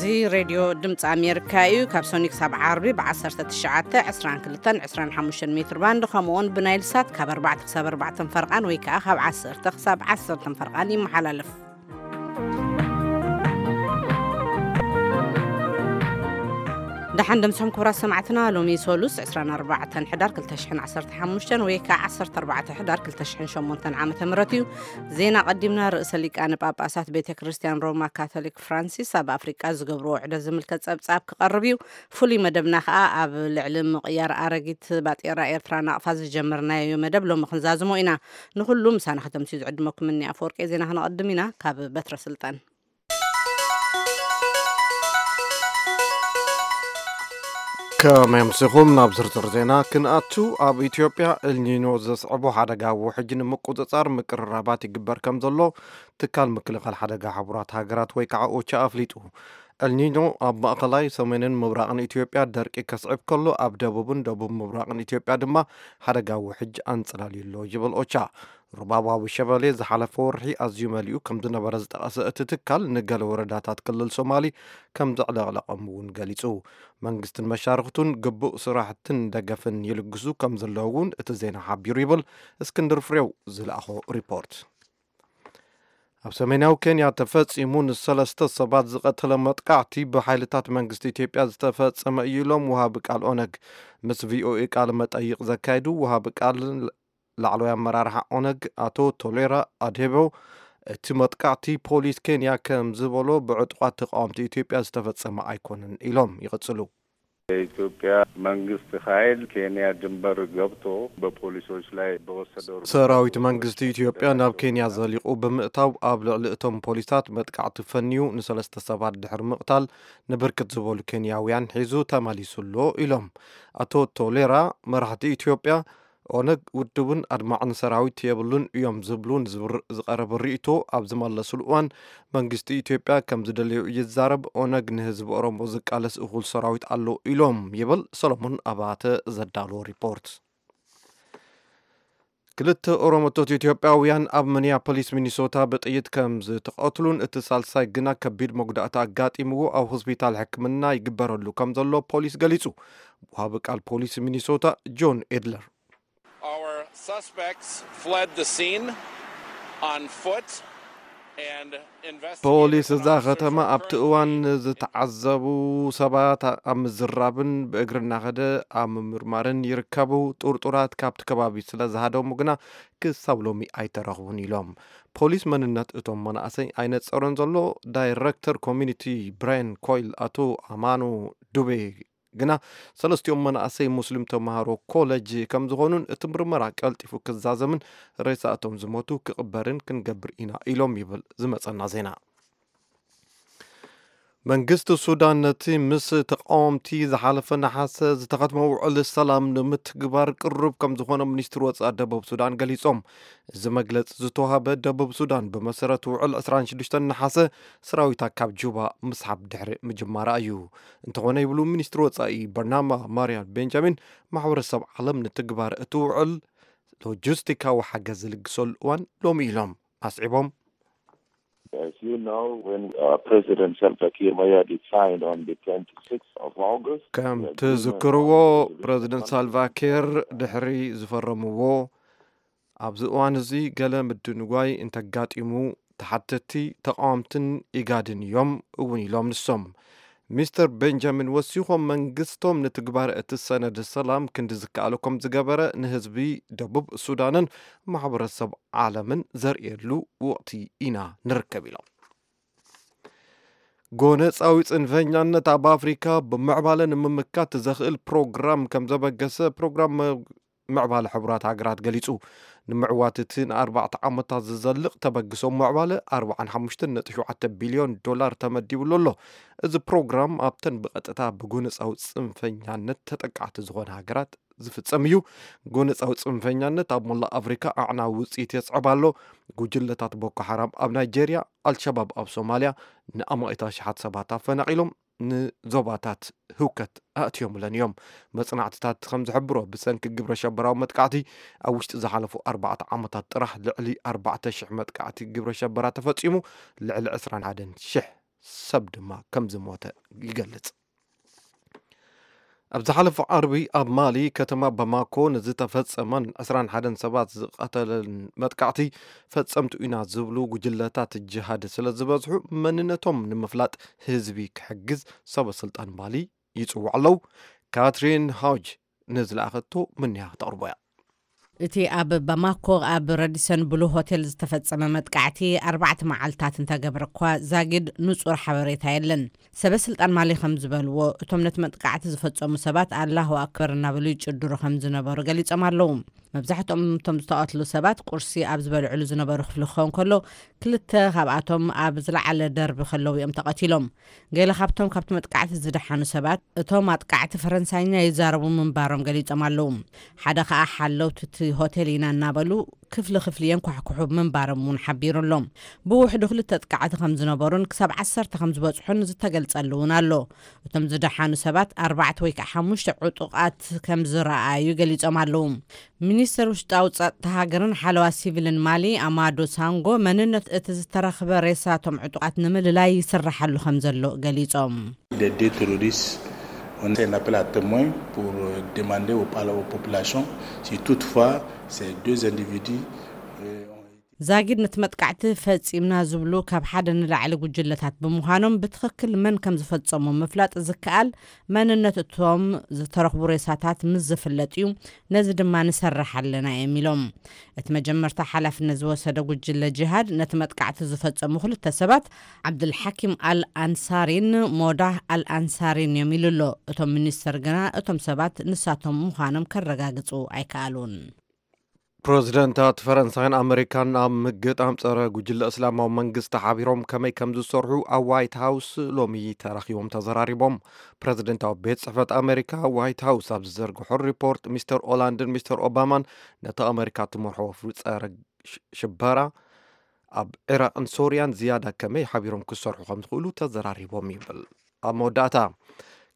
እዚ ሬድዮ ድምፂ ኣሜሪካ እዩ። ካብ ሶኒ ክሳብ ዓርቢ ብ19፣ 22፣ 25 ሜትር ባንድ፣ ከምኡውን ብናይል ሳት ካብ ኣርባዕተ ክሳብ ኣርባዕተ ፈርቓን ወይ ከዓ ካብ ዓሰርተ ክሳብ ዓሰርተ ፈርቓን ይመሓላለፍ። ደሓን ደምስኹም ክቡራት ሰማዕትና። ሎሚ ሶሉስ 24 ሕዳር 2015 ወይ ከዓ 14 ሕዳር 2008 ዓመተ ምህረት እዩ። ዜና ቀዲምና። ርእሰ ሊቃነ ጳጳሳት ቤተ ክርስቲያን ሮማ ካቶሊክ ፍራንሲስ ኣብ ኣፍሪቃ ዝገብርዎ ውዕደት ዝምልከት ጸብጻብ ክቐርብ እዩ። ፍሉይ መደብና ከኣ ኣብ ልዕሊ ምቕያር ኣረጊት ባጤራ ኤርትራ ናቕፋ ዝጀመርናዮ መደብ ሎሚ ክንዛዝሞ ኢና። ንኹሉ ምሳና ከተምስዩ ዝዕድመኩም እኒ ኣፈወርቂ። ዜና ክነቐድም ኢና። ካብ በትረ ስልጣን። ከመይ ኣምሲኹም? ናብ ዝርዝር ዜና ክንኣቱ። ኣብ ኢትዮጵያ ኤልኒኖ ዘስዕቦ ሓደጋ ውሕጅ ንምቁጽጻር ምቅርራባት ይግበር ከም ዘሎ ትካል ምክልኻል ሓደጋ ሕቡራት ሃገራት ወይ ከዓ ኦቻ ኣፍሊጡ። ኤልኒኖ ኣብ ማእኸላይ፣ ሰሜንን ምብራቕን ኢትዮጵያ ደርቂ ከስዕብ ከሎ፣ ኣብ ደቡብን ደቡብ ምብራቕን ኢትዮጵያ ድማ ሓደጋ ውሕጅ ኣንጸላልዩ ኣሎ ይብል ኦቻ። ሩባባዊ ሸበሌ ዝሓለፈ ወርሒ ኣዝዩ መሊኡ ከም ዝነበረ ዝጠቐሰ እቲ ትካል፣ ንገለ ወረዳታት ክልል ሶማሊ ከም ዘዕለቕለቐም እውን ገሊጹ። መንግስትን መሻርኽቱን ግቡእ ስራሕትን ደገፍን ይልግሱ ከም ዘለዉ እውን እቲ ዜና ሓቢሩ ይብል እስክንድር ፍሬው ዝለኣኾ ሪፖርት። ኣብ ሰሜናዊ ኬንያ ተፈጺሙ ንሰለስተ ሰባት ዝቐተለ መጥቃዕቲ ብሓይልታት መንግስቲ ኢትዮጵያ ዝተፈጸመ እዩ ኢሎም ወሃቢ ቃል ኦነግ። ምስ ቪኦኤ ቃለ መጠይቕ ዘካየዱ ወሃቢ ቃል ላዕለዋይ ኣመራርሓ ኦነግ ኣቶ ቶሌራ ኣድሄቦ፣ እቲ መጥቃዕቲ ፖሊስ ኬንያ ከም ዝበሎ ብዕጡቓት ተቃወምቲ ኢትዮጵያ ዝተፈጸመ ኣይኮነን ኢሎም ይቕጽሉ። የኢትዮጵያ መንግስት ኃይል ኬንያ ድንበር ገብቶ በፖሊሶች ላይ በወሰደው እርምጃ ሰራዊት መንግስቲ ኢትዮጵያ ናብ ኬንያ ዘሊቑ ብምእታው ኣብ ልዕሊ እቶም ፖሊሳት መጥቃዕቲ ፈንዩ ንሰለስተ ሰባት ድሕሪ ምቕታል ንብርክት ዝበሉ ኬንያውያን ሒዙ ተመሊሱ ኣሎ ኢሎም። ኣቶ ቶሌራ፣ መራሕቲ ኢትዮጵያ ኦነግ ውድብን ኣድማዕን ሰራዊት የብሉን እዮም ዝብሉ ንዝብር-፣ ዝቐረበ ርእይቶ ኣብ ዝመለሱሉ እዋን፣ መንግስቲ ኢትዮጵያ ከም ዝደለዮ ይዛረብ፣ ኦነግ ንህዝቢ ኦሮሞ ዝቃለስ እኹል ሰራዊት ኣሎ ኢሎም ይብል ሰሎሞን ኣባተ ዘዳለዎ ሪፖርት። ክልተ ኦሮሞቶት ኢትዮጵያውያን ኣብ ሚኒያፖሊስ ሚኒሶታ ብጥይት ከም ዝተቐትሉን እቲ ሳልሳይ ግና ከቢድ መጉዳእቲ ኣጋጢምዎ ኣብ ሆስፒታል ሕክምና ይግበረሉ ከም ዘሎ ፖሊስ ገሊጹ። ወሃቢ ቃል ፖሊስ ሚኒሶታ ጆን ኤድለር። Our suspects fled the scene on foot and investigators ፖሊስ እዛ ከተማ ኣብቲ እዋን ዝተዓዘቡ ሰባት ኣብ ምዝራብን ብእግሪ እናኸደ ኣብ ምምርማርን ይርከቡ። ጥርጡራት ካብቲ ከባቢ ስለ ዝሃደሙ ግና ክሳብ ሎሚ ኣይተረኽቡን ኢሎም። ፖሊስ መንነት እቶም መናእሰይ ኣይነጸሮን ዘሎ። ዳይረክተር ኮሚኒቲ ብራያን ኮይል ኣቶ ኣማኑ ዱቤ ግና ሰለስቲኦም መናእሰይ ሙስሊም ተምሃሮ ኮለጅ ከም ዝኾኑን እቲ ምርመራ ቀልጢፉ ክዛዘምን ሬሳ እቶም ዝሞቱ ክቕበርን ክንገብር ኢና ኢሎም ይብል ዝመጸና ዜና። መንግስቲ ሱዳን ነቲ ምስ ተቃወምቲ ዝሓለፈ ነሓሰ ዝተኸትመ ውዕል ሰላም ንምትግባር ቅሩብ ከም ዝኾነ ሚኒስትሪ ወጻኢ ደቡብ ሱዳን ገሊጾም። እዚ መግለጺ ዝተዋህበ ደቡብ ሱዳን ብመሰረት ውዕል 26 ነሓሰ ሰራዊታ ካብ ጁባ ምስሓብ ድሕሪ ምጅማራ እዩ። እንተኾነ ይብሉ ሚኒስትሪ ወጻኢ በርናማ ማርያ ቤንጃሚን፣ ማሕበረሰብ ዓለም ንትግባር እቲ ውዕል ሎጂስቲካዊ ሓገዝ ዝልግሰሉ እዋን ሎሚ ኢሎም ኣስዒቦም። As you know, when, uh, President Salva Kiir Mayardit signed on the twenty-sixth of August, ከም ትዝክርዎ፣ ፕሬዚደንት ሳልቫ ኪር ድሕሪ ዝፈረምዎ፣ ኣብዚ እዋን እዚ ገለ ምድንጓይ እንተጋጢሙ፣ ተሓተቲ ተቃወምትን ኢጋድን እዮም እውን ኢሎም ንሶም። ሚስተር ቤንጃሚን ወሲኾም፣ መንግስቶም ንትግባር እቲ ሰነድ ሰላም ክንዲ ዝከኣሎ ከም ዝገበረ ንህዝቢ ደቡብ ሱዳንን ማሕበረሰብ ዓለምን ዘርእየሉ ወቕቲ ኢና ንርከብ ኢሎም። ጎነጻዊ ጽንፈኛነት ኣብ ኣፍሪካ ብምዕባለ ንምምካት ዘኽእል ፕሮግራም ከም ዘበገሰ ፕሮግራም ምዕባለ ሕቡራት ሃገራት ገሊጹ። ንምዕዋት እቲ ንኣርባዕተ ዓመታት ዝዘልቕ ተበግሶ ምዕባለ ኣርባዓን ሓሙሽተን ነጥቢ ሸውዓተ ቢልዮን ዶላር ተመዲብሉ ኣሎ። እዚ ፕሮግራም ኣብተን ብቐጥታ ብጎነጻዊ ጽንፈኛነት ተጠቃዕቲ ዝኾነ ሃገራት ዝፍጸም እዩ። ጎነጻዊ ጽንፈኛነት ኣብ መላእ ኣፍሪካ ኣዕናዊ ውጽኢት የስዕብ ኣሎ። ጉጅለታት ቦኮ ሓራም ኣብ ናይጄርያ፣ ኣልሸባብ ኣብ ሶማልያ ንኣማኢት ኣሽሓት ሰባት ኣፈናቒሎም ንዞባታት ህውከት ኣእትዮምለን እዮም። መጽናዕትታት ከም ዝሕብሮ፣ ብሰንኪ ግብረ ሸበራዊ መጥቃዕቲ ኣብ ውሽጢ ዝሓለፉ ኣርባዕተ ዓመታት ጥራሕ ልዕሊ ኣርባዕተ ሽሕ መጥቃዕቲ ግብረ ሸበራ ተፈጺሙ፣ ልዕሊ ዕስራን ሓደን ሽሕ ሰብ ድማ ከም ዝሞተ ይገልጽ። ኣብ ዝሓለፈ ዓርቢ ኣብ ማሊ ከተማ ባማኮ ንዝተፈጸመን ዕስራን ሓደን ሰባት ዝቐተለን መጥቃዕቲ፣ ፈጸምቱ ኢና ዝብሉ ጉጅለታት ጅሃድ ስለ ዝበዝሑ፣ መንነቶም ንምፍላጥ ህዝቢ ክሕግዝ ሰበ ስልጣን ማሊ ይጽውዑ ኣለዉ። ካትሪን ሃውጅ ንዝለኣኸቶ ምንያ ክተቕርቦ እያ። እቲ ኣብ ባማኮ ኣብ ረዲሰን ብሉ ሆቴል ዝተፈጸመ መጥቃዕቲ ኣርባዕተ መዓልታት እንተገብረ እኳ፣ ዛጊድ ንጹር ሓበሬታ የለን። ሰበ ስልጣን ማሊ ከም ዝበልዎ፣ እቶም ነቲ መጥቃዕቲ ዝፈጸሙ ሰባት ኣላሁ ኣክበር እናበሉ ይጭድሩ ከም ዝነበሩ ገሊጾም ኣለዉ። መብዛሕትኦም እቶም ዝተቐትሉ ሰባት ቁርሲ ኣብ ዝበልዕሉ ዝነበሩ ክፍሊ ክኸውን ከሎ፣ ክልተ ካብኣቶም ኣብ ዝለዓለ ደርቢ ከለዉ እዮም ተቐቲሎም። ገለ ካብቶም ካብቲ መጥቃዕቲ ዝደሓኑ ሰባት፣ እቶም ኣጥቃዕቲ ፈረንሳይኛ ይዛረቡ ምንባሮም ገሊጾም ኣለዉ። ሓደ ከኣ ሓለውቲ እቲ ሆቴል ኢና እናበሉ ክፍሊ ክፍሊ የንኳሕኩሑ ምንባሮም እውን ሓቢሩ ኣሎ። ብውሕዱ ክልተ ኣጥቃዕቲ ከም ዝነበሩን ክሳብ ዓሰርተ ከም ዝበጽሑን ዝተገልጸሉ እውን ኣሎ። እቶም ዝደሓኑ ሰባት ኣርባዕተ ወይ ከዓ ሓሙሽተ ዕጡቓት ከም ዝረኣዩ ገሊጾም ኣለዉ። ሚኒስተር ውሽጣዊ ጸጥታ ሃገርን ሓለዋ ሲቪልን ማሊ ኣማዶ ሳንጎ፣ መንነት እቲ ዝተረኽበ ሬሳ እቶም ዕጡቓት ንምልላይ ይስራሓሉ ከም ዘሎ ገሊጾም። Des deux terroristes, on fait un appel à témoins pour euh, demander aux, aux populations si toutefois ces deux individus euh, ont ዛጊድ ነቲ መጥቃዕቲ ፈጺምና ዝብሉ ካብ ሓደ ንላዕሊ ጉጅለታት ብምዃኖም፣ ብትኽክል መን ከም ዝፈጸሞ ምፍላጥ ዝከኣል መንነት እቶም ዝተረኽቡ ሬሳታት ምስ ዝፍለጥ እዩ፣ ነዚ ድማ ንሰርሕ ኣለና እዮም ኢሎም። እቲ መጀመርታ ሓላፍነት ዝወሰደ ጉጅለ ጂሃድ ነቲ መጥቃዕቲ ዝፈጸሙ ክልተ ሰባት ዓብዱልሓኪም ኣል ኣንሳሪን ሞዳህ ኣል ኣንሳሪን እዮም ኢሉ ኣሎ። እቶም ሚኒስተር ግና እቶም ሰባት ንሳቶም ምዃኖም ከረጋግጹ ኣይከኣሉን። ፕረዚደንታት ፈረንሳይን ኣመሪካን ኣብ ምግጣም ጸረ ጉጅለ እስላማዊ መንግስቲ ሓቢሮም ከመይ ከም ዝሰርሑ ኣብ ዋይት ሃውስ ሎሚ ተራኺቦም ተዘራሪቦም። ፕረዚደንታዊ ቤት ጽሕፈት ኣመሪካ ዋይት ሃውስ ኣብ ዝዘርግሖ ሪፖርት፣ ሚስተር ኦላንድን ሚስተር ኦባማን ነቲ ኣመሪካ ትመርሖ ወፍሪ ጸረ ሽበራ ኣብ ዒራቕን ሶርያን ዝያዳ ከመይ ሓቢሮም ክሰርሑ ከም ዝኽእሉ ተዘራሪቦም ይብል። ኣብ መወዳእታ፣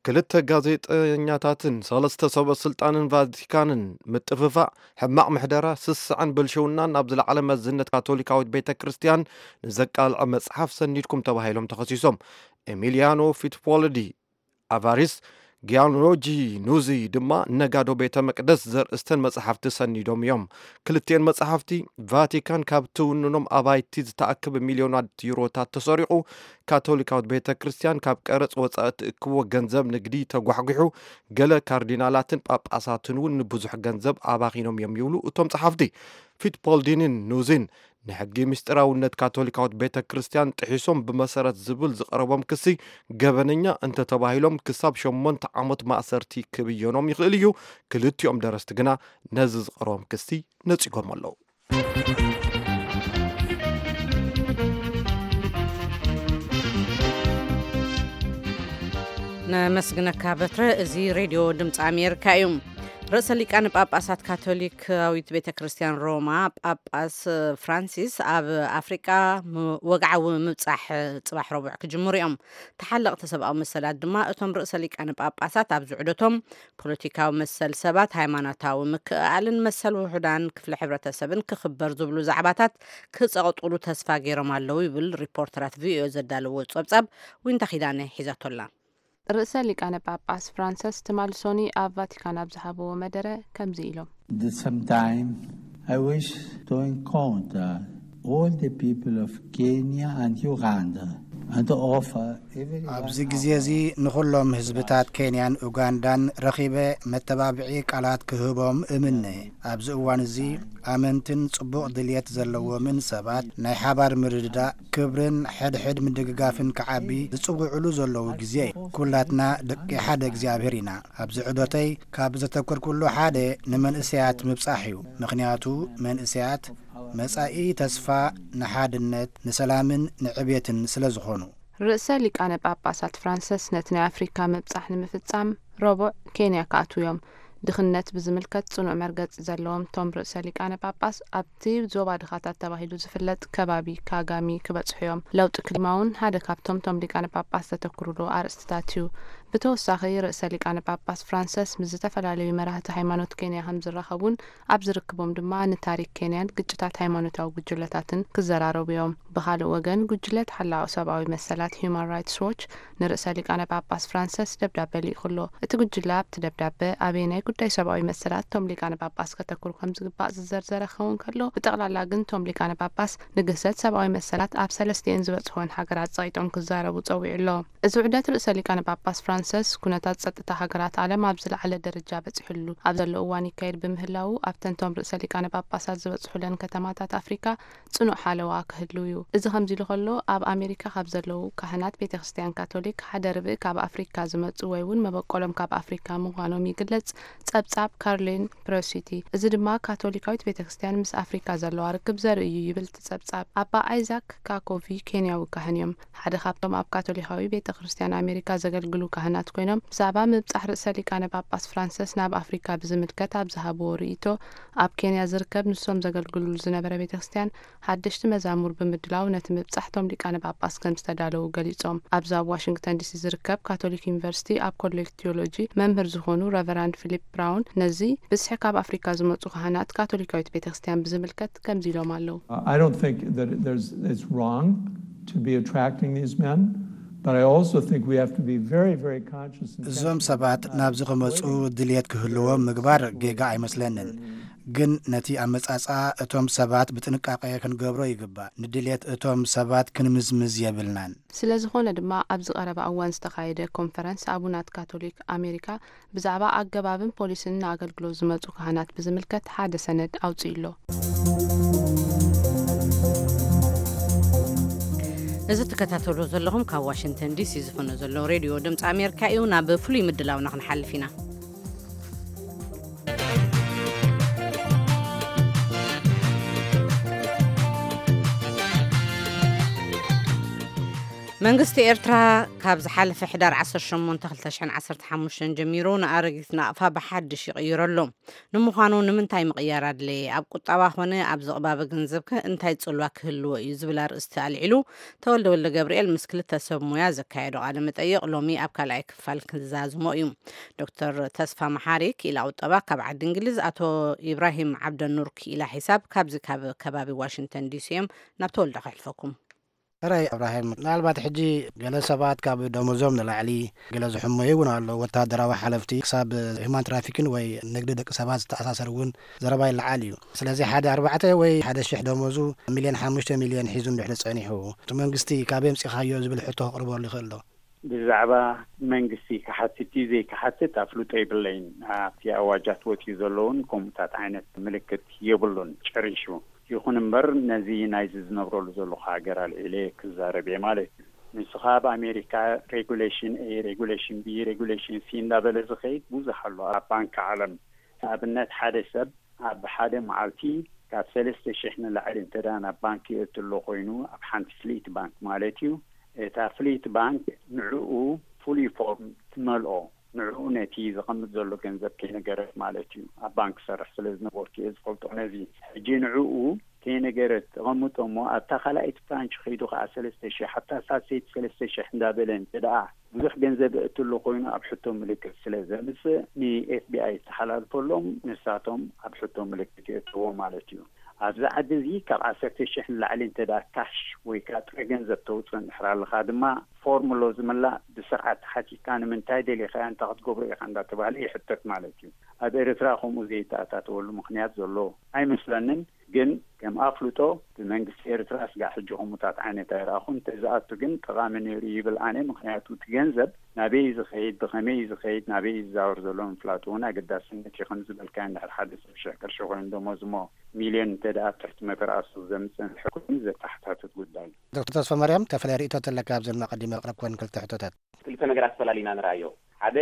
ክልተ ጋዜጠኛታትን ሰለስተ ሰበ ስልጣንን ቫቲካንን ምጥፍፋእ፣ ሕማቕ ምሕደራ፣ ስስዐን ብልሽውናን ናብ ዝለዓለ መዝነት ካቶሊካዊት ቤተ ክርስቲያን ንዘቃልዐ መጽሓፍ ሰኒድኩም ተባሂሎም ተኸሲሶም። ኤሚሊያኖ ፊትፖልዲ ኣቫሪስ፣ ጊያንሎጂ ኑዚ ድማ ነጋዶ ቤተ መቅደስ ዘርእስተን መጽሓፍቲ ሰኒዶም እዮም። ክልቲኤን መጽሓፍቲ ቫቲካን ካብ ትውንኖም ኣባይቲ ዝተኣከበ ሚልዮናት ዩሮታት ተሰሪቑ፣ ካቶሊካዊት ቤተ ክርስቲያን ካብ ቀረጽ ወጻኢ ትእክቦ ገንዘብ ንግዲ ተጓሕጒሑ፣ ገለ ካርዲናላትን ጳጳሳትን እውን ንብዙሕ ገንዘብ ኣባኺኖም እዮም ይብሉ እቶም ጸሓፍቲ። ፊትፖልዲንን ኑዚን ንሕጊ ምስጢራውነት ካቶሊካዊት ቤተ ክርስቲያን ጥሒሶም ብመሰረት ዝብል ዝቐረቦም ክሲ ገበነኛ እንተተባሂሎም ክሳብ ሸሞንተ ዓመት ማእሰርቲ ክብየኖም ይኽእል እዩ። ክልቲኦም ደረስቲ ግና ነዚ ዝቐረቦም ክሲ ነጺጎም ኣለዉ። ነመስግነካ በትረ። እዚ ሬድዮ ድምፂ ኣሜሪካ እዩ። ርእሰ ሊቃነ ጳጳሳት ካቶሊካዊት ቤተ ክርስቲያን ሮማ ጳጳስ ፍራንሲስ ኣብ ኣፍሪቃ ወግዓዊ ምብጻሕ ጽባሕ ረቡዕ ክጅምሩ እዮም። ተሓለቕቲ ሰብኣዊ መሰላት ድማ እቶም ርእሰ ሊቃነ ጳጳሳት ኣብዚ ዑደቶም ፖለቲካዊ መሰል ሰባት፣ ሃይማኖታዊ ምክእኣልን መሰል ውሑዳን ክፍለ ሕብረተሰብን ክኽበር ዝብሉ ዛዕባታት ክጸቕጥሉ ተስፋ ገይሮም ኣለዉ ይብል ሪፖርተራት ቪኦኤ ዘዳለዎ ጸብጻብ። ዊንታ ኪዳነ ሒዛቶላ። ርእሰ ሊቃነ ጳጳስ ፍራንሰስ ትማሊ ሶኒ ኣብ ቫቲካን ኣብ ዝሃብዎ መደረ ከምዚ ኢሎም። At the same time, I wish to encounter all the people of Kenya and Uganda and to offer everyone ኣብዚ ግዜ እዚ ንኹሎም ህዝብታት ኬንያን ኡጋንዳን ረኺበ መተባብዒ ቃላት ክህቦም እምነ። ኣብዚ እዋን እዚ ኣመንትን ጽቡቕ ድልየት ዘለዎምን ሰባት ናይ ሓባር ምርድዳእ፣ ክብርን ሕድሕድ ምድግጋፍን ክዓቢ ዝጽውዕሉ ዘለዉ ግዜ እዩ። ኩላትና ደቂ ሓደ እግዚኣብሔር ኢና። ኣብዚ ዑደተይ ካብ ዘተኮርኩሉ ሓደ ንመንእሰያት ምብጻሕ እዩ። ምኽንያቱ መንእሰያት መጻኢ ተስፋ ንሓድነት ንሰላምን ንዕቤትን ስለ ዝኾኑ። ርእሰ ሊቃነ ጳጳሳት ፍራንሰስ ነቲ ናይ ኣፍሪካ ምብጻሕ ንምፍጻም ረቡዕ ኬንያ ክኣትዉ እዮም። ድኽነት ብዝምልከት ጽኑዕ መርገጺ ዘለዎም እቶም ርእሰ ሊቃነ ጳጳስ ኣብቲ ዞባ ድኻታት ተባሂሉ ዝፍለጥ ከባቢ ካጋሚ ክበጽሑ እዮም። ለውጢ ክሊማ እውን ሓደ ካብቶም እቶም ሊቃነ ጳጳስ ዘተኩሩሉ ኣርእስትታት እዩ። ብተወሳኺ ርእሰ ሊቃነ ጳጳስ ፍራንሰስ ምስ ዝተፈላለዩ መራህቲ ሃይማኖት ኬንያ ከም ዝራኸቡን ኣብ ዝርክቦም ድማ ንታሪክ ኬንያን ግጭታት ሃይማኖታዊ ጉጅለታትን ክዘራረቡ እዮም። ብኻልእ ወገን ጉጅለ ተሓላቒ ሰብኣዊ መሰላት ሂዩማን ራይትስ ዎች ንርእሰ ሊቃነ ጳጳስ ፍራንሰስ ደብዳበ ልኢኹ ኣሎ። እቲ ጉጅለ ኣብቲ ደብዳበ ኣበየናይ ጉዳይ ሰብኣዊ መሰላት እቶም ሊቃነ ጳጳስ ከተኩሩ ከም ዝግባእ ዝዘርዘረ ክኸውን ከሎ፣ ብጠቕላላ ግን እቶም ሊቃነ ጳጳስ ንግህሰት ሰብኣዊ መሰላት ኣብ ሰለስቲኤን ዝበጽሕወን ሃገራት ጸቒጦም ክዛረቡ ጸዊዑ ኣሎ። እዚ ውዕደት ርእሰ ሊቃነ ጳጳስ ፍራንሰስ ኩነታት ጸጥታ ሃገራት ዓለም ኣብ ዝለዓለ ደረጃ በጺሑሉ ኣብ ዘሎ እዋን ይካየድ ብምህላዉ ኣብተን እቶም ርእሰ ሊቃነ ጳጳሳት ዝበጽሑለን ከተማታት ኣፍሪካ ጽኑዕ ሓለዋ ክህሉ እዩ። እዚ ከምዚ ኢሉ ከሎ ኣብ ኣሜሪካ ካብ ዘለዉ ካህናት ቤተ ክርስቲያን ካቶሊክ ሓደ ርብኢ ካብ ኣፍሪካ ዝመጹ ወይ እውን መበቆሎም ካብ ኣፍሪካ ምዃኖም ይግለጽ። ጸብጻብ ካርሊን ፕሮሲቲ። እዚ ድማ ካቶሊካዊት ቤተ ክርስቲያን ምስ ኣፍሪካ ዘለዋ ርክብ ዘርኢ እዩ ይብል እቲ ጸብጻብ። ኣባ ኣይዛክ ካኮቪ ኬንያዊ ካህን እዮም። ሓደ ካብቶም ኣብ ካቶሊካዊ ቤተ ክርስቲያን ኣሜሪካ ዘገልግሉ ካህናት ኮይኖም ብዛዕባ ምብጻሕ ርእሰ ሊቃነ ጳጳስ ፍራንሰስ ናብ ኣፍሪካ ብዝምልከት ኣብ ዝሃብዎ ርእይቶ ኣብ ኬንያ ዝርከብ ንሶም ዘገልግሉሉ ዝነበረ ቤተ ክርስቲያን ሓደሽቲ መዛሙር ብምድላው ነቲ ምብጻሕቶም ሊቃነ ጳጳስ ከም ዝተዳለዉ ገሊጾም። ኣብዚ ኣብ ዋሽንግተን ዲሲ ዝርከብ ካቶሊክ ዩኒቨርሲቲ ኣብ ኮሌጅ ቲዮሎጂ መምህር ዝኾኑ ረቨራንድ ፊሊፕ ብራውን ነዚ ብዝሒ ካብ ኣፍሪካ ዝመጹ ካህናት ካቶሊካዊት ቤተ ክርስቲያን ብዝምልከት ከምዚ ኢሎም ኣለዉ። I don't think that there's, it's wrong to be attracting these men, but I also think we have to be very, very conscious and እዞም ሰባት ናብዚ ክመጹ ድልየት ክህልዎም ምግባር ጌጋ ኣይመስለንን። ግን ነቲ ኣመጻጽኣ እቶም ሰባት ብጥንቃቄ ክንገብሮ ይግባእ። ንድልየት እቶም ሰባት ክንምዝምዝ የብልናን። ስለ ዝኾነ ድማ ኣብዚ ቀረባ እዋን ዝተኻየደ ኮንፈረንስ ኣቡናት ካቶሊክ ኣሜሪካ ብዛዕባ ኣገባብን ፖሊስን ንኣገልግሎት ዝመጹ ካህናት ብዝምልከት ሓደ ሰነድ ኣውጺኡ ኣሎ። እዚ ትከታተሉ ዘለኹም ካብ ዋሽንግተን ዲሲ ዝፍኖ ዘሎ ሬድዮ ድምፂ ኣሜሪካ እዩ። ናብ ፍሉይ ምድላውና ክንሓልፍ ኢና። መንግስቲ ኤርትራ ካብ ዝሓለፈ ሕዳር ዓሰርተ ሸሞንተ ክልተ ሽሕን ዓሰርተ ሓሙሽተን ጀሚሩ ንኣረጊት ናቕፋ ብሓድሽ ይቕይሮ ኣሎ። ንምዃኑ ንምንታይ ምቕያር ኣድለየ? ኣብ ቁጠባ ኾነ ኣብ ዝቕባበ ገንዘብከ እንታይ ጽልዋ ክህልዎ እዩ? ዝብል ኣርእስቲ ኣልዒሉ ተወልደ ወልደ ገብርኤል ምስ ክልተ ሰብ ሞያ ዘካየዶ ቃለ መጠይቕ ሎሚ ኣብ ካልኣይ ክፋል ክንዛዝሞ እዩ። ዶክተር ተስፋ መሓሪ ክኢላ ቁጠባ ካብ ዓዲ እንግሊዝ፣ ኣቶ ኢብራሂም ዓብደኑር ክኢላ ሒሳብ ካብዚ ካብ ከባቢ ዋሽንግተን ዲሲ እዮም። ናብ ተወልደ ከሕልፈኩም። ሕራይ እብራሂም፣ ምናልባት ሕጂ ገለ ሰባት ካብ ደሞዞም ንላዕሊ ገለ ዝሕመዩ እውን ኣሎ። ወታደራዊ ሓለፍቲ ክሳብ ሂማን ትራፊክን ወይ ንግዲ ደቂ ሰባት ዝተኣሳሰር እውን ዘረባ ይለዓል እዩ። ስለዚ ሓደ ኣርባዕተ ወይ ሓደ ሽሕ ደሞዙ ሚልዮን ሓሙሽተ ሚልዮን ሒዙ እንድሕሪ ጸኒሑ እቲ መንግስቲ ካበይ ኣምጺኻዮ ዝብል ሕቶ ክቕርበሉ ይኽእል ዶ? ብዛዕባ መንግስቲ ክሓትት እዩ ዘይክሓትት ኣፍልጦ የብለይን። ኣብቲ ኣዋጃት ወፂኡ ዘለውን ከምኡታት ዓይነት ምልክት የብሉን ጨሪሹ። ይኹን እምበር ነዚ ናይዚ ዝነብረሉ ዘለኹ ሃገር ኣልዒለ ክዛረብ እየ ማለት እዩ። ንሱ ከዓ ኣብ ኣሜሪካ ሬጉሌሽን ኤ፣ ሬጉሌሽን ቢ፣ ሬጉሌሽን ሲ እንዳበለ ዝኸይድ ብዙሕ ኣሎ ኣብ ባንክ ዓለም። ንኣብነት ሓደ ሰብ ኣብ ሓደ መዓልቲ ካብ ሰለስተ ሽሕ ንላዕሊ እንተ ደኣ ናብ ባንክ የእትሎ ኮይኑ ኣብ ሓንቲ ፍሊት ባንክ ማለት እዩ። እታ ፍሊት ባንክ ንዕኡ ፍሉይ ፎርም ትመልኦ። ንዕኡ ነቲ ዘቐምጥ ዘሎ ገንዘብ ከይነገረት ማለት እዩ። ኣብ ባንክ ሰርሕ ስለ ዝነበርኩ እየ ዝፈልጦ ነዚ። ሕጂ ንዕኡ ከይነገረት ተቐምጦ እሞ ኣብታ ካልኣይቲ ብራንች ከይዱ ከዓ ሰለስተ ሽሕ ኣብታ ሳልሰይቲ ሰለስተ ሽሕ እንዳበለ እንተ ደኣ ብዙሕ ገንዘብ እእትሉ ኮይኑ ኣብ ሕቶ ምልክት ስለ ዘምጽእ ን ኤፍ ቢ ኣይ ዝተሓላልፈሎም ንሳቶም ኣብ ሕቶ ምልክት የእትዎ ማለት እዩ። ኣብዚ ዓዲ እዚ ካብ ዓሰርተ ሽሕ ንላዕሊ እንተ ደኣ ካሽ ወይ ከዓ ጥረ ገንዘብ ተውፅእ እንድሕር ኣለኻ ድማ ፎርም ኣሎ ዝምላእ ብስርዓት ተሓቲካ ንምንታይ ደሊኻዮ እንታይ ክትገብሮ ኢኻ እንዳተባህለ ይሕተት ማለት እዩ። ኣብ ኤርትራ ከምኡ ዘይተኣታተወሉ ምኽንያት ዘሎ ኣይመስለንን። ግን ከም ኣፍልጦ ብመንግስቲ ኤርትራ ስጋዕ ሕጂ ከምኡታት ዓይነት ኣይረኣኹን። እንተዝኣቱ ግን ጠቓሚ ነይሩ ይብል ኣነ። ምኽንያቱ እቲ ገንዘብ ናበይ እዩ ዝኸይድ፣ ብኸመይ እዩ ዝኸይድ፣ ናበይ እዩ ዝዛወር ዘሎ ምፍላጡ እውን ኣገዳስነት እዩ። ከም ዝበልካዮ እንድሕር ሓደ ሰብ ሽሕ ቅርሺ ኮይኑ ደሞዝ እሞ ሚልዮን እንተ ደኣ ኣብ ትሕቲ መተርኣሱ ዘምጽእ እንድሕር ኮይኑ ዘተሓታትት ጉዳይ እዩ። ዶክተር ተስፋማርያም፣ ተፈለየ ርእይቶ ተለካ ኣብዚ ድማ ቀዲመ ኣቕረብክወን ክልተ ሕቶታት። ክልተ ነገራት ፈላሊና ንርኣዮ። ሓደ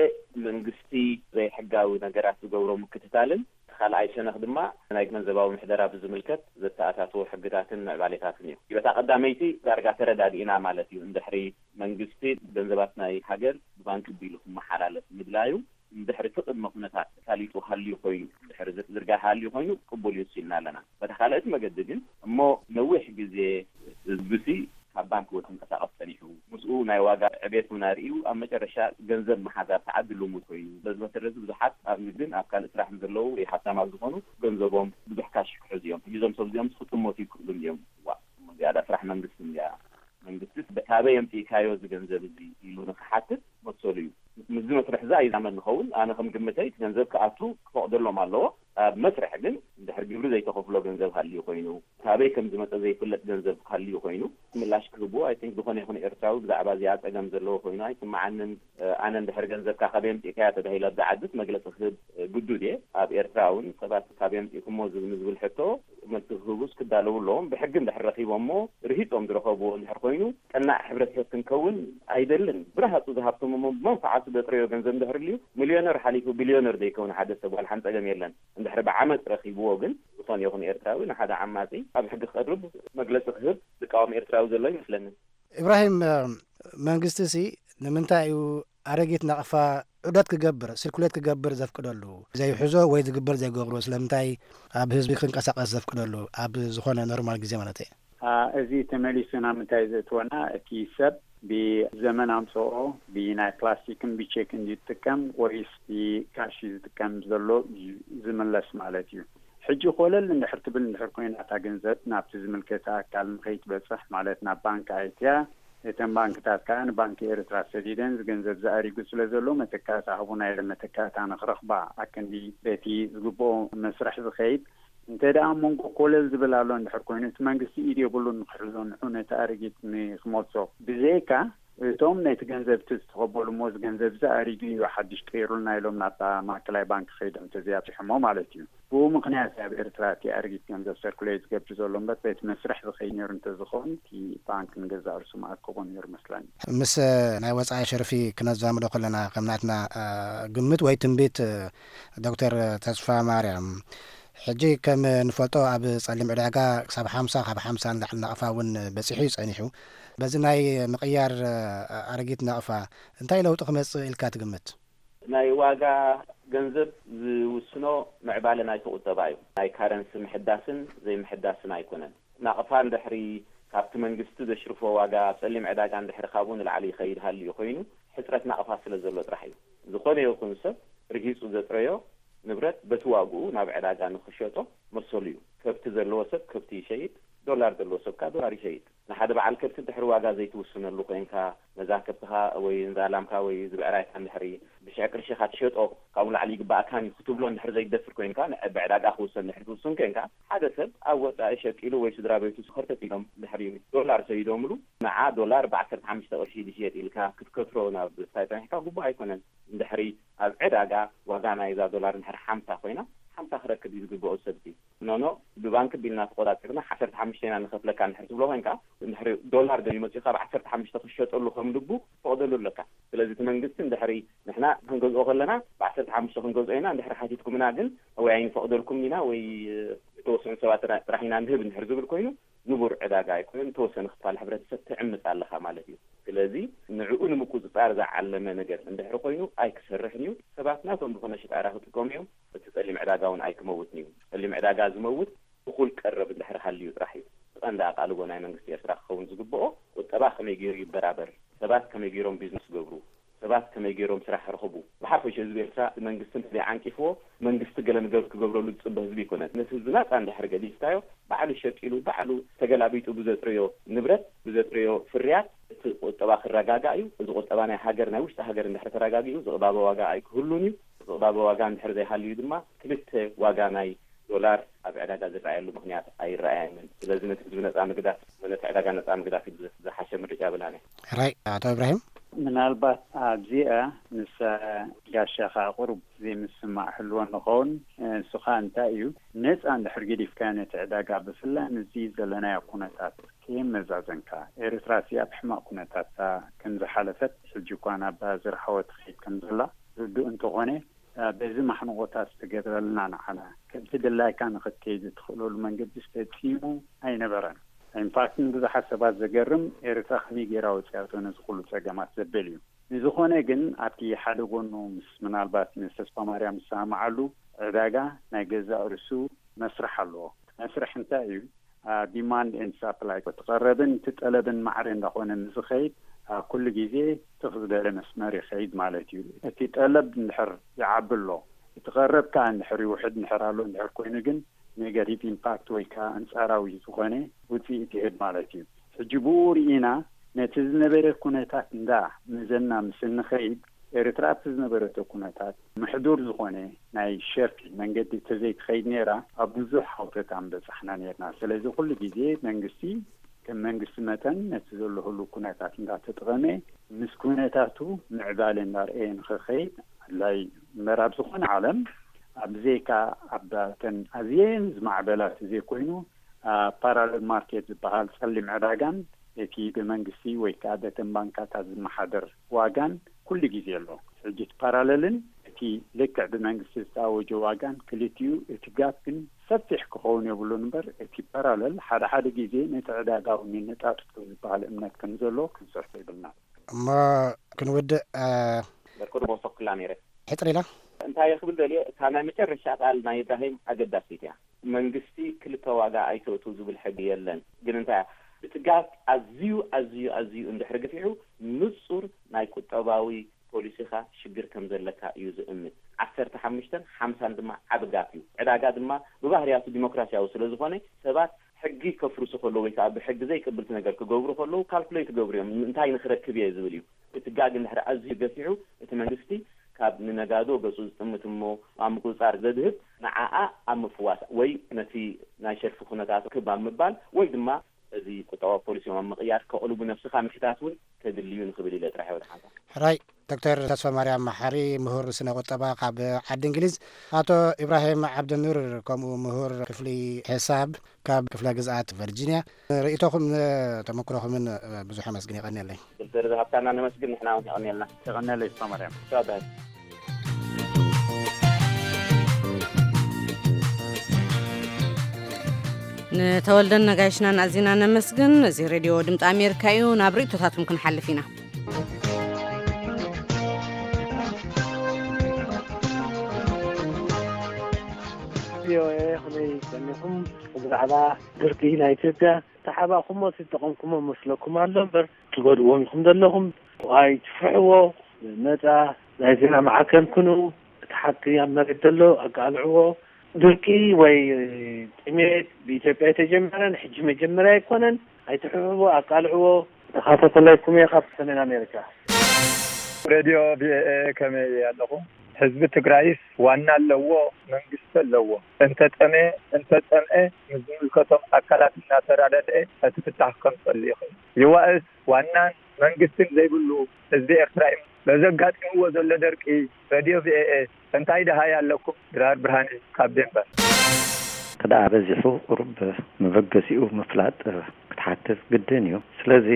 መንግስቲ ዘይሕጋዊ ነገራት ዝገብሮ ምክትታልን እቲ ካልኣይ ሸነኽ ድማ ናይ ገንዘባዊ ምሕደራ ብዝምልከት ዘተኣታትዎ ሕግታትን ምዕባሌታትን እዩ። በታ ቀዳመይቲ ዳርጋ ተረዳዲእና ማለት እዩ። እንድሕሪ መንግስቲ ገንዘባት ናይ ሃገር ብባንክ ቢሉ ክመሓላለፍ ምድላዩ እንድሕሪ እቲ ቅድመ ኩነታት ተሳሊጡ ሃልዩ ኮይኑ፣ እንድሕሪ ዝርጋሕ ሃልዩ ኮይኑ ቅቡል እዩ ኢልና ኣለና። በታ ካልኣይቲ መገዲ ግን እሞ ነዊሕ ግዜ ህዝብሲ ካብ ባንክ ወ ተንቀሳቐስ ጸኒሑ ምስኡ ናይ ዋጋ ቤት ቡና ርእዩ ኣብ መጨረሻ ገንዘብ መሓዝ ኣብ ተዓዲ ልሙድ ኮይኑ፣ በዚ መሰረት እዚ ብዙሓት ኣብ ንግድን ኣብ ካልእ ስራሕን ዘለዉ ወይ ሃብታማት ዝኾኑ ገንዘቦም ብዙሕ ካሽ ክሕዙ እዮም። ሕጂ እዞም ሰብ እዚኦም ክጥመቱ ይክእሉ እዮም። ዋ፣ ዝያዳ ስራሕ መንግስቲ እንድያ። መንግስቲ ካበይ ኣምፂእካዮ እዚ ገንዘብ እዚ ኢሉ ንክሓትት መሰሉ እዩ። ምስዚ መስርሕ እዚ ኣይዛመድ ንኸውን። ኣነ ከም ግምተይ እቲ ገንዘብ ክኣቱ ክፈቕደሎም ኣለዎ። ኣብ መስርሕ ግን እንድሕር ግብሪ ዘይተኸፍሎ ገንዘብ ሃልዩ ኮይኑ፣ ካበይ ከም ዝመፀ ዘይፍለጥ ገንዘብ ሃልዩ ኮይኑ፣ ምላሽ ክህብዎ፣ ኣይ ቲንክ፣ ዝኾነ ይኹን ኤርትራዊ ብዛዕባ እዚኣ ፀገም ዘለዎ ኮይኑ ኣይስምዓንን። ኣነ እንድሕር ገንዘብካ ካበይ ኣምፂእካያ ተባሂለ ኣብዚ ዓድስ መግለፂ ክህብ ግዱድ እየ። ኣብ ኤርትራ እውን ሰባት ካበይ ኣምፂእኩሞ ዝብል፣ ንዝብል ሕቶ መልሲ ክህቡስ ክዳለዉ ኣለዎም። ብሕጊ እንድሕር ረኺቦሞ፣ ርሂፆም ዝረኸብዎ እንድሕር ኮይኑ፣ ቀናእ ሕብረተሰብ ክንከውን ኣይደልን። ብረሃፁ ዝሃብተሞሞ ብመንፍዓቱ ዘጥረዮ ገንዘብ እንድሕር ልዩ፣ ሚልዮነር ሓሊፉ ቢልዮነር ዘይከውን ሓደ ሰብ ዋላ ሓንቲ ፀገም የለን። እንድሕር ብዓመፅ ረኺብዎ ግን፣ ዝኾነ ይኹን ኤርትራዊ ንሓደ ዓማፂ ኣብ ሕጊ ክቐርብ፣ መግለፂ ክህብ ዝቃወም ኤርትራዊ ዘሎ ይመስለኒ። ኢብራሂም፣ መንግስቲ ሲ ንምንታይ እዩ ኣረጊት ናቕፋ ዑደት ክገብር፣ ስርኩሌት ክገብር ዘፍቅደሉ? ዘይሕዞ ወይ ዝግበር ዘይገብሮ ስለምንታይ ኣብ ህዝቢ ክንቀሳቐስ ዘፍቅደሉ ኣብ ዝኾነ ኖርማል ግዜ ማለት እየ? አ፣ እዚ ተመሊሱ ናብ ምንታይ ዘእትወና? እቲ ሰብ ብዘመን ኣምፅኦ ብናይ ፕላስቲክን ብቼክን ዝጥቀም ወይስ ብካሽ ዝጥቀም ዘሎ እዩ ዝምለስ ማለት እዩ። ሕጂ ኮለል እንድሕር ትብል እንድሕር ኮይና እታ ገንዘብ ናብቲ ዝምልከተ ኣካል ንኸይትበፅሕ ማለት ናብ ባንክ ኣይትያ፣ እተን ባንክታት ከዓ ንባንክ ኤርትራ ሰዲደን እዚ ገንዘብ ዝኣሪጉ ስለ ዘሎ መተካእታ ሃቡና ኢለን መተካእታ ንክረኽባ ኣክንዲ በቲ ዝግብኦ መስርሕ ዝኸይድ እንተ ደኣ መንጎ ኮለል ዝብል ኣሎ እንድሕር ኮይኑ እቲ መንግስቲ ኢድ የብሉን ንክሕዞ ንዑ ነቲ ኣረጊት ንክመልሶ ብዘይካ እቶም ነቲ ገንዘብ እቲ ዝተቐበሉ እሞ እዚ ገንዘብ እዚ ኣሪጉ እዩ ሓድሽ ቀይሩልና ኢሎም ናብታ ማእከላይ ባንክ ከይዶም ተዘይ ኣብፅሖሞ ማለት እዩ። ብኡ ምኽንያት ኣብ ኤርትራ እቲ ኣረጊት ገንዘብ ሰርኩሌት ዝገብር ዘሎ እምበር በቲ መስርሕ ዝኸይድ ነይሩ እንተዝኸውን እቲ ባንክ ንገዛእ ርእሱ መኣከቦ ነይሩ መስለኒ። ምስ ናይ ወፃኢ ሸርፊ ክነዛምዶ ከለና ከም ናትና ግምት ወይ ትንቢት ዶክተር ተስፋ ማርያም ሕጂ ከም ንፈልጦ ኣብ ጸሊም ዕዳጋ ክሳብ ሓምሳ ካብ ሓምሳ ንላዕሊ ናቕፋ እውን በጺሑ እዩ ጸኒሑ። በዚ ናይ ምቕያር ኣረጊት ናቕፋ እንታይ ለውጢ ክመጽእ ኢልካ ትግምት? ናይ ዋጋ ገንዘብ ዝውስኖ ምዕባለ ናይቲ ቁጠባ እዩ። ናይ ካረንሲ ምሕዳስን ዘይምሕዳስን ኣይኮነን። ናቕፋ እንድሕሪ ካብቲ መንግስቲ ዘሽርፎ ዋጋ ኣብ ጸሊም ዕዳጋ እንድሕሪ ካብኡ ንላዕሊ ይኸይድ ሃልዩ ኮይኑ ሕጽረት ናቕፋ ስለ ዘሎ ጥራሕ እዩ። ዝኾነ ይኹን ሰብ ርሂጹ ዘጥረዮ ንብረት በቲ ዋግኡ ናብ ዕዳጋ ንኽሸጦ መሰሉ እዩ። ከብቲ ዘለዎ ሰብ ከብቲ ይሸይጥ፣ ዶላር ዘለዎ ሰብ ከኣ ዶላር ይሸይጥ። ንሓደ በዓል ከብቲ እንድሕሪ ዋጋ ዘይትውስነሉ ኮይንካ፣ ነዛ ከብትኻ ወይ ነዛ ላምካ ወይ እዚ ብዕራይካ እንድሕሪ ብሽሕ ቅርሺ ኢኻ ትሸጦ፣ ካብኡ ንላዕሊ ይግባእካን እዩ ክትብሎ እንድሕሪ ዘይትደፍር ኮይንካ፣ ን-፣ ብዕዳጋ ክውሰን እንድሕሪ ትውስን ኮይንካ፣ ሓደ ሰብ ኣብ ወጻኢ ሸቂሉ ወይ ስድራ ቤቱ ከርተት ኢሎም እንድሕሪ ዶላር ሰይዶምሉ፣ ንዓ ዶላር ብዓሰርተ ሓሙሽተ ቅርሺ ድሽየጥ ኢልካ ክትከትሮ ናብ ስታይ ጸኒሕካ ግቡእ ኣይኮነን። እንድሕሪ ኣብ ዕዳጋ ዋጋ ናይዛ ዶላር እንድሕሪ ሓምሳ ኮይና፣ ሓምሳ ክረክብ እዩ ዝግብኦ ሰብቲ። ኖኖ፣ ብባንክ ቢልና ተቆጻጺርና ዓሰርተ ሓሙሽተ ኢና ንኸፍለካ እንድሕሪ ትብሎ ኮይንካ፣ እንድሕሪ ዶላር ደልዩ መጺኡ ካብ ዓሰርተ ሓሙሽተ ክትሸጠሉ ከም ልቡ ትፈቕደሉ ኣለካ። ስለዚ እቲ መንግስቲ እንድሕሪ ንሕና ክንገዝኦ ከለና ብዓሰርተ ሓሙሽተ ክንገዝኦ ኢና፣ እንድሕሪ ሓቲትኩምና ግን ወይ ኣይንፈቕደልኩም ኢና ወይ ዝተወሰኑ ሰባት ጥራ-፣ ጥራሕ ኢና ንህብ እንድሕሪ ዝብል ኮይኑ ንቡር ዕዳጋ ኣይኮነን። ዝተወሰነ ክፋል ሕብረተሰብ ትዕምጽ ኣለኻ ማለት እዩ። ስለዚ ንዕኡ ንምቁጽጻር ዝዓለመ ነገር እንድሕሪ ኮይኑ ኣይክሰርሕን እዩ። ሰባት ናቶም ዝኾነ ሽጣራ ክጥቀሙ እዮም። እቲ ጸሊም ዕዳጋ እውን ኣይክመውትን እዩ። ጸሊም ዕዳጋ ዝመውት እኹል ቀረብ እንድሕሪ ሃልዩ ጥራሕ እዩ። እቲ ቀንዲ ኣቓልቦ ናይ መንግስቲ ኤርትራ ክኸውን ዝግብኦ ቁጠባ ከመይ ገይሩ ይበራበር፣ ሰባት ከመይ ገይሮም ቢዝነስ ይገብሩ፣ ሰባት ከመይ ገይሮም ስራሕ ክረኽቡ፣ ብሓፈሽ ህዝቢ ኤርትራ መንግስቲ እንተዘይ ዓንቂፍዎ መንግስቲ ገለ ነገር ክገብረሉ ዝጽበ ህዝቢ ኣይኮነን። ነቲ ህዝቢ ናጻ እንድሕሪ ገዲፍካዮ ባዕሉ ሸቂሉ ባዕሉ ተገላቢጡ ብዘጥረዮ ንብረት ብዘጥረዮ ፍርያት እቲ ቁጠባ ክረጋጋእ እዩ። እዚ ቁጠባ ናይ ሃገር ናይ ውሽጢ ሃገር እንድሕሪ ተረጋጊኡ ዝቕባበ ዋጋ ኣይክህሉን እዩ። ዝቕባበ ዋጋ እንድሕሪ ዘይሃልዩ ድማ ክልተ ዋጋ ናይ ዶላር ኣብ ዕዳጋ ዝረኣየሉ ምኽንያት ኣይረኣየንን። ስለዚ ነቲ ህዝቢ ነጻ ምግዳፍ፣ ነቲ ዕዳጋ ነጻ ምግዳፍ እዩ ዝሓሸ ምርጫ ብላነ። ሕራይ ኣቶ ኢብራሂም። ምናልባት ኣብዚኣ ምስ ጋሻኻ ቁሩብ ዘይምስማዕ ህልዎ ንኸውን። እሱ ኸኣ እንታይ እዩ? ነጻ እንድሕር ገዲፍካ ነቲ ዕዳጋ ብፍላይ ምስዚ ዘለናዮ ኩነታት ከየመዛዘንካ፣ ኤርትራ እዚኣ ብሕማቕ ኩነታት ከም ዝሓለፈት ሕጂ እኳ ናብ ዝረሓወ ትኸይድ ከም ዘላ ርዱእ እንተኾነ፣ በዚ ማሕንቖታት ዝተገብረልና ንዓና ከምቲ ድላይካ ንኽትከይድ እትኽእለሉ መንገዲ ፈጺሙ ኣይነበረን። ኢንፋክት ንብዙሓት ሰባት ዘገርም ኤርትራ ከመይ ገይራ ወፂኣቶ ነዚ ኩሉ ፀገማት ዘብል እዩ። ንዝኾነ ግን ኣብቲ ሓደ ጎኑ ምስ ምናልባት ምስ ተስፋ ማርያም ዝሰማማዓሉ ዕዳጋ ናይ ገዛእ ርእሱ መስርሕ ኣለዎ። እቲ መስርሕ እንታይ እዩ? ዲማንድ ኤንድ ሳፕላይ እቲ ቀረብን እቲ ጠለብን ማዕረ እንዳኾነ ምስ ዝኸይድ ኣብ ኩሉ ግዜ ትኽ ዝበለ መስመር ይኸይድ ማለት እዩ። እቲ ጠለብ እንድሕር ይዓቢ ኣሎ፣ እቲ ቀረብ ከኣ እንድሕር ይውሕድ እንድሕር ኣሎ እንድሕር ኮይኑ ግን ኔጋቲቭ ኢምፓክት ወይ ከኣ ኣንጻራዊ ዝኾነ ውጽኢት ይህብ ማለት እዩ። ሕጂ ብኡ ርኢና ነቲ ዝነበረ ኩነታት እንዳ መዘና ምስ እንኸይድ፣ ኤርትራ ኣብቲ ዝነበረቶ ኩነታት ምሕዱር ዝኾነ ናይ ሸርፊ መንገዲ ተዘይትኸይድ ነይራ፣ ኣብ ብዙሕ ሃውተታ ምበጻሕና ነይርና። ስለዚ ኩሉ ግዜ መንግስቲ ከም መንግስቲ መጠን ነቲ ዘሎ ህሉው ኩነታት እንዳተጠቐመ ምስ ኩነታቱ ምዕባለ እንዳርኣየ ንኽኸይድ ኣድላይ እዩ። እምበር ኣብ ዝኾነ ዓለም ኣብ ብዘይካ ኣብተን ኣዝየን ዝማዕበላ ተዘይኮይኑ ፓራለል ማርኬት ዝበሃል ጸሊም ዕዳጋን እቲ ብመንግስቲ ወይ ከዓ በተን ባንካታት ዝመሓደር ዋጋን ኩሉ ግዜ ኣሎ። ሕጂ እቲ ፓራለልን እቲ ልክዕ ብመንግስቲ ዝተኣወጀ ዋጋን ክልቲኡ እቲ ጋፕ ግን ሰፊሕ ክኸውን የብሉን እምበር እቲ ፓራለል ሓደ ሓደ ግዜ ነቲ ዕዳጋ እውን የነጣጥፍ ከም ዝበሃል እምነት ከም ዘሎ ክንስሕቶ ይብልና። እሞ ክንውድእ በርኩ ድቦ ሶክላ ነይረ። ሕፅር ኢላ እንታይ ክብል ደልየ፣ እታ ናይ መጨረሻ ቃል ናይ ኢብራሂም ኣገዳሲት እያ። መንግስቲ ክልተ ዋጋ ኣይተእቱ ዝብል ሕጊ የለን። ግን እንታይ እቲ ጋፕ ኣዝዩ ኣዝዩ ኣዝዩ እንድሕር ገፊሑ ንጹር ናይ ቁጠባዊ ፖሊሲኻ ሽግር ከም ዘለካ እዩ ዝእምት። ዓሰርተ ሓሙሽተን ሓምሳን ድማ ዓቢ ጋፕ እዩ። ዕዳጋ ድማ ብባህርያቱ ዲሞክራሲያዊ ስለ ዝኾነ ሰባት ሕጊ ከፍርሱ ከለዉ ወይ ከዓ ብሕጊ ዘይቅብልቲ ነገር ክገብሩ ከለዉ ካልኩሌት ይገብሩ እዮም። እንታይ ንክረክብ እየ ዝብል እዩ። እቲ ጋግ እንድሕር ኣዝዩ ገፊሑ እቲ መንግስቲ ካብ ንነጋዶ ገጹ ዝጥምት እሞ ኣብ ምቁፅፃር ዘድህብ ንዓኣ ኣብ ምፍዋስ ወይ ነቲ ናይ ሸርፊ ኩነታት ክብ ኣብ ምባል ወይ ድማ እዚ ቁጠባዊ ፖሊሲኦም ኣብ ምቕያር ከቕልቡ ነብስኻ ምሕታት እውን ከድልዩ ንክብል ኢለ ጥራሕ ወደ ሓንሳ ሕራይ ዶክተር ተስፋ ማርያም መሓሪ ምሁር ስነ ቁጠባ ካብ ዓዲ እንግሊዝ፣ ኣቶ ኢብራሂም ዓብደኑር ከምኡ ምሁር ክፍሊ ሕሳብ ካብ ክፍለ ግዝኣት ቨርጂኒያ። ርእይቶኹም ተመክሮኹምን ብዙሕ ኣመስግን የቐንየለይ። ዶክተር ዝሃብታና ነመስግን፣ ንሕና እውን የቐንየልና። የቐንየለይ ተስፋ ማርያም። ቻው ዳን። ንተወልደን ነጋይሽናን ኣዚና ነመስግን። እዚ ሬድዮ ድምፂ ኣሜሪካ እዩ። ናብ ርእይቶታትኩም ክንሓልፍ ኢና። ቪኦኤ ከመይ ቀኒኹም? ብዛዕባ ድርቂ ናይ ኢትዮጵያ ተሓባኹሞ ዝጠቐምኩሞ መስለኩም ኣሎ እምበር ትጎድዎም ኢኹም ዘለኹም። ኣይትፍርሕዎ። ነፃ ናይ ዜና ማዕከን ኩኑ። እቲ ሓቂ ኣብ መሬት ዘሎ ኣቃልዕዎ። ድርቂ ወይ ጥሜት ብኢትዮጵያ የተጀመረን ሕጂ መጀመርያ ኣይኮነን። ኣይትሕብሕቦ፣ ኣቃልዕዎ። ተኻታተላይኩም እየ ካብ ሰሜን ኣሜሪካ። ሬድዮ ቪኦኤ ከመይ ኣለኹም? ህዝቢ ትግራይስ ዋና ኣለዎ፣ መንግስቲ ኣለዎ። እንተጠመየ እንተፀምአ ምስ ዝምልከቶም ኣካላት እናተራዳድአ እቲ ፍታሕ ከምፀሉ ይኽእል። ይዋእስ ዋናን መንግስትን ዘይብሉ ህዝቢ ኤርትራ እዩ። በዚ ኣጋጢምዎ ዘሎ ደርቂ ረድዮ ቪኦኤ እንታይ ደሃይ ኣለኩም? ድራር ብርሃነ ካብ ዴንቨር። ክደኣ በዚሑ ቁሩብ መበገሲኡ ምፍላጥ ክትሓትት ግድን እዩ። ስለዚ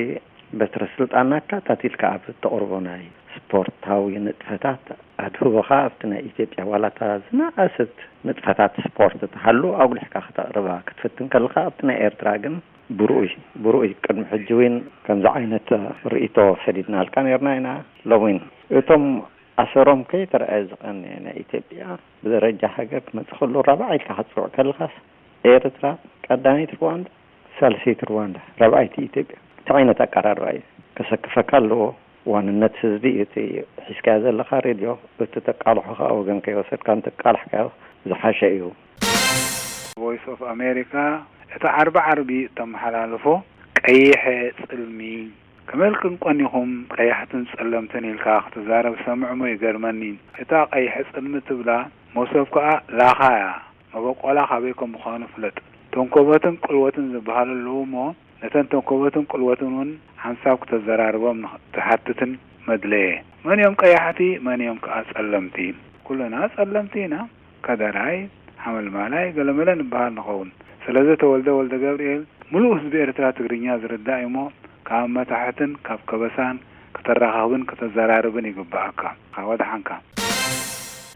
በትረ ስልጣንና ኣካታቲልካ ኣብ እተቕርቦ ናይ ስፖርታዊ ንጥፈታት ኣድህቦኻ ኣብቲ ናይ ኢትዮጵያ ዋላ እታ ዝነኣሰት ንጥፈታት ስፖርት ትሃሉ ኣጉሊሕካ ክተቕርባ ክትፍትን ከለኻ ኣብቲ ናይ ኤርትራ ግን ብርኡይ ብርኡይ ቅድሚ ሕጂ እውን ከምዚ ዓይነት ርእይቶ ሰዲድናልካ ነርና ኢና። ሎሚ እውን እቶም ኣሰሮም ከይተረኣየ ዝቐነየ ናይ ኢትዮጵያ ብደረጃ ሃገር ክመጽእ ከሎ ራብዓይ ኢልካ ክትጽውዕ ከለኻስ ኤርትራ ቀዳመይቲ ሩዋንዳ፣ ሳልሰይቲ ሩዋንዳ፣ ራብዓይቲ ኢትዮጵያ። እንታይ ዓይነት ኣቀራርባ እዩ? ከሰክፈካ ኣለዎ። ዋንነት ህዝቢ እዩ እቲ ሒዝካዮ ዘለኻ ሬድዮ፣ እቲ ተቃልሖ ከኣ ወገን ከይወሰድካ እንተቃላሕካዮ ዝሓሸ እዩ። ቮይስ ኦፍ ኣሜሪካ እቲ ዓርቢ ዓርቢ እተመሓላልፎ ቀይሐ ጽልሚ ከመልክን ቆኒኹም ቀያሕትን ጸለምትን ኢልካ ክትዛረብ ሰምዕሞ ይገርመኒ። እታ ቀይሐ ጽልሚ ትብላ መሶብ ከኣ ላኻ እያ። መበቆላ ካበይ ከም ምዃኑ ፍለጥ። ተንኮበትን ቅልወትን ዝበሃሉ ኣለዉ እሞ ነተን ተንኮበትን ቅልወትን እውን ሓንሳብ ክተዘራርቦም ንኽትሓትትን መድለየ። መን እዮም ቀያሕቲ መን እዮም ከኣ ጸለምቲ? ኩልና ጸለምቲ ኢና። ከደራይ፣ ሓመልማላይ፣ ገለመለ ንበሃል ንኸውን። ስለዚ ተወልደ ወልደገብርኤል ምሉእ ህዝቢ ኤርትራ ትግርኛ ዝርዳእ እዩሞ ካብ መታሕትን ካብ ከበሳን ከተራኻኽብን ከተዘራርብን ይግብኣካ። ወድሓንካ።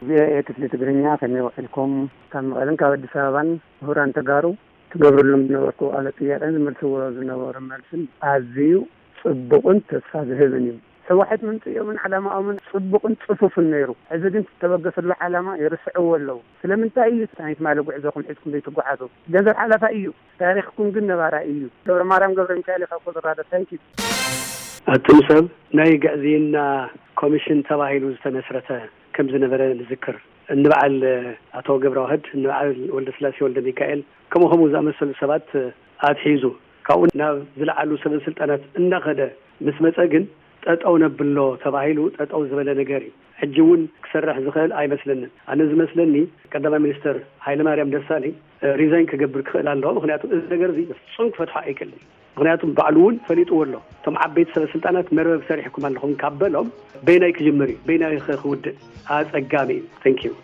ቪኦኤ ክፍሊ ትግርኛ ከመይ ውዒልኩም? ካብ መቐለን ካብ ኣዲስ ኣበባን ምሁራን ተጋሩ ትገብርሎም ዝነበርኩ ቃለ ጥያቄን ዝመልስዎ ዝነበሩ መልስን ኣዝዩ ጽቡቕን ተስፋ ዝህብን እዩ። ህወሓት ምምፅኦምን ዓላማኦምን ፅቡቕን ፅፉፍን ነይሩ። ሕዚ ግን ዝተበገሰሉ ዓላማ ይርስዕዎ ኣለዉ። ስለምንታይ እዩ ናይትማሊ ጉዕዞኹም ሒዝኩም ዘይትጓዓዙ? ገንዘብ ሓላፋይ እዩ፣ ታሪኽኩም ግን ነባራይ እዩ። ገብረማርያም ገብረሚካኤል ካብ ኮሎራዶ። ታንኪዩ። ኣቱም ሰብ፣ ናይ ግዕዝይና ኮሚሽን ተባሂሉ ዝተመስረተ ከም ዝነበረ ንዝክር። እንበዓል ኣቶ ገብረዋህድ፣ እንበዓል ወልደስላሴ ወልደ ሚካኤል፣ ከምኡ ከምኡ ዝኣመሰሉ ሰባት ኣትሒዙ፣ ካብኡ ናብ ዝለዓሉ ሰበ ስልጣናት እንዳኸደ ምስ መጸ ግን፣ ጠጠው ነብሎ ተባሂሉ ጠጠው ዝበለ ነገር እዩ። ሕጂ እውን ክሰርሕ ዝኽእል ኣይመስለንን። ኣነ ዝመስለኒ፣ ቀዳማይ ሚኒስተር ሃይለማርያም ደሳለኝ ሪዛይን ክገብር ክኽእል ኣለዎ። ምኽንያቱ እዚ ነገር እዚ ፍጹም ክፈትሖ ኣይክእልን። ምኽንያቱ ባዕሉ እውን ፈሊጥዎ ኣሎ። እቶም ዓበይቲ ሰበ ስልጣናት መርበብ ሰሪሕኩም ኣለኹም ካብ በሎም፣ በይናይ ክጅምር እዩ፣ በይናይ ኸ ክውድእ ኣጸጋሚ እዩ። Thank you።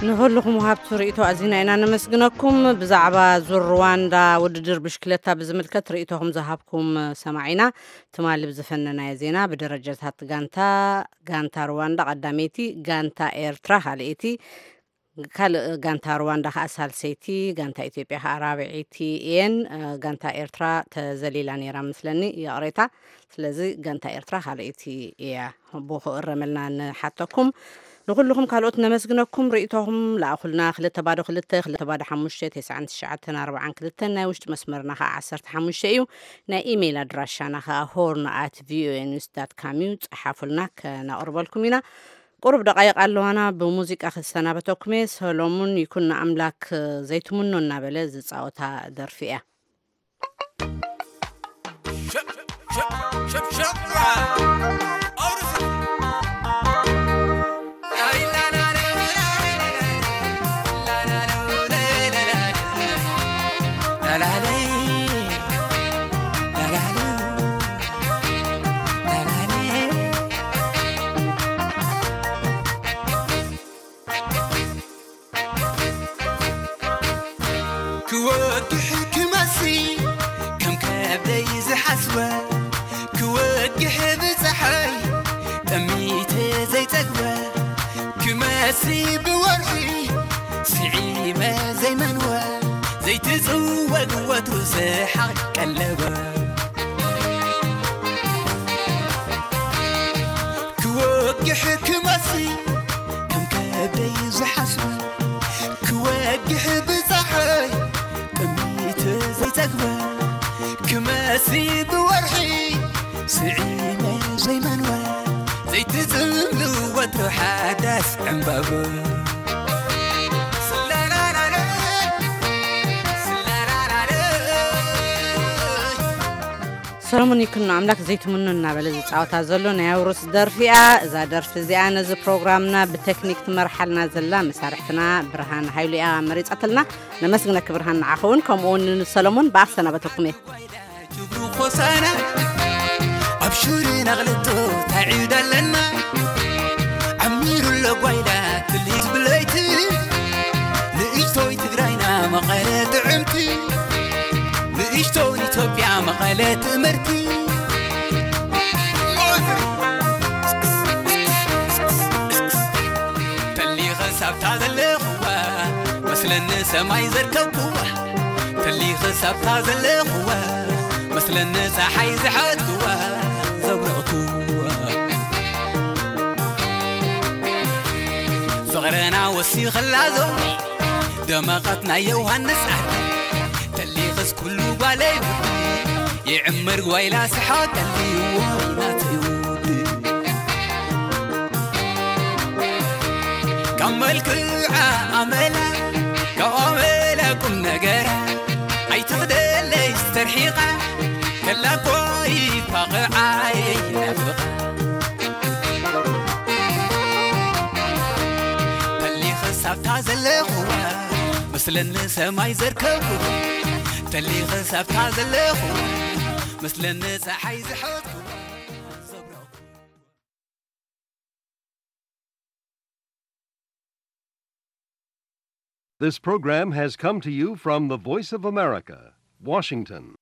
ንኹልኹም ወሃብቲ ርእይቶ ኣዚና ኢና ነመስግነኩም። ብዛዕባ ዙር ሩዋንዳ ውድድር ብሽክለታ ብዝምልከት ርእይቶኹም ዝሃብኩም ሰማዒና፣ ትማሊ ብዝፈነናዮ ዜና ብደረጃታት ጋንታ፣ ጋንታ ሩዋንዳ ቀዳመይቲ፣ ጋንታ ኤርትራ ካልኣይቲ፣ ካልእ ጋንታ ሩዋንዳ ከኣ ሳልሰይቲ፣ ጋንታ ኢትዮጵያ ከኣ ራብዐይቲ እየን። ጋንታ ኤርትራ ተዘሊላ ነይራ ምስለኒ፣ ይቕሬታ። ስለዚ ጋንታ ኤርትራ ካልኣይቲ እያ። ብኡ ክእረመልና ንሓተኩም። ንኹልኹም ካልኦት ነመስግነኩም። ርእይቶኹም ለኣኹልና፣ ክልተ ባዶ ክልተ፣ ክልተ ባዶ ሓሙሽተ፣ ተስዓን ትሽዓተን ኣርባዓን ክልተን፣ ናይ ውሽጢ መስመርና ከኣ ዓሰርተ ሓሙሽተ እዩ። ናይ ኢሜይል ኣድራሻና ከኣ ሆርን ኣት ቪኦኤ ኒውስ ዳት ካም እዩ። ጸሓፉልና፣ ከነቕርበልኩም ኢና። ቁሩብ ደቓይቕ ኣለዋና፣ ብሙዚቃ ክሰናበተኩም እየ። ሰሎሙን ይኩን ንኣምላክ ዘይትምኖ እናበለ ዝጻወታ ደርፊ እያ። ክወግሕ ክመሲ ከም ከብደይ ዝሓስበ፣ ክወግሕ ብፀሓይ ጠሚተ ዘይፀግበ፣ ክመሲ ብወርሒ ስዒመ ዘይመንወ፣ ዘይትፅወግ ወትሩ ስሓቕ ቀለበ። ክወግሕ ክመሲ ከም ከብደይ ዝሓስበ፣ ክወግሕ ብፀሓይ ጠሚተ ዘይፀግበ፣ ክመሲ ብወርሒ ስዒመ ዘይመንወ፣ ዘይትፅምሉ ወትሩ ሓዳስ ዕምባበ። ሰሎሙን ይኩኖ ኣምላክ ዘይትምኖ እናበለ ዝፃወታ ዘሎ ናይ ኣውርስ ደርፊ እያ። እዛ ደርፊ እዚኣ ነዚ ፕሮግራምና ብቴክኒክ ትመርሓልና ዘላ መሳርሕትና ብርሃን ሃይሉ እያ መሪፃትልና። ነመስግነኪ ብርሃን፣ ንዓኺ እውን ከምኡ እውን ንሰሎሙን ብኣፍ ሰናበተኩም እየ። ክብሩ ኾሳና ኣብ ሹሪና ክልተ ታዒድ ኣለና። ዓሚሩ ኣሎ ጓይላ ትልሂት ብለይቲ፣ ንእሽቶይ ትግራይና መቐለ ጥዕምቲ፣ ንእሽቶይ ኢትዮጵያ መቐለ ትእምርቲ። ተሊኸ ሳብታ ዘለኹዋ መስለኒ ሰማይ ዘርከብኩዋ፣ ተሊኸ ሳብታ ዘለኹዋ መስለኒ ፀሓይ ዝሓትኩዋ፣ ዘብረቕኩዋ። ፍቕረና ወሲኸላ ዞሚ ደመቐት ናይ ዮሃንስ ዓዲ፣ ተሊኸስ ኩሉ ጓለይ ውዲ ይዕምር ጓይላ ስሓቀሊ ወይ ናተይ ውዲ። ካብ መልክዓ ኣመላ፣ ካብ ኣመላ ቁም ነገራ፣ ኣይትኽደለይ ዝተርሒቓ፣ ከላ እኮ ይፋቕዓ የይናፍቓ። ተሊኸ ሳብታ ዘለኹዋ፣ መስለኒ ሰማይ ዘርከብኩዋ። ተሊኸ ሳብታ ዘለኹዋ፣ መስለኒ ፀሓይ ዝሓትኩዋ። This program has come to you from the Voice of America, Washington.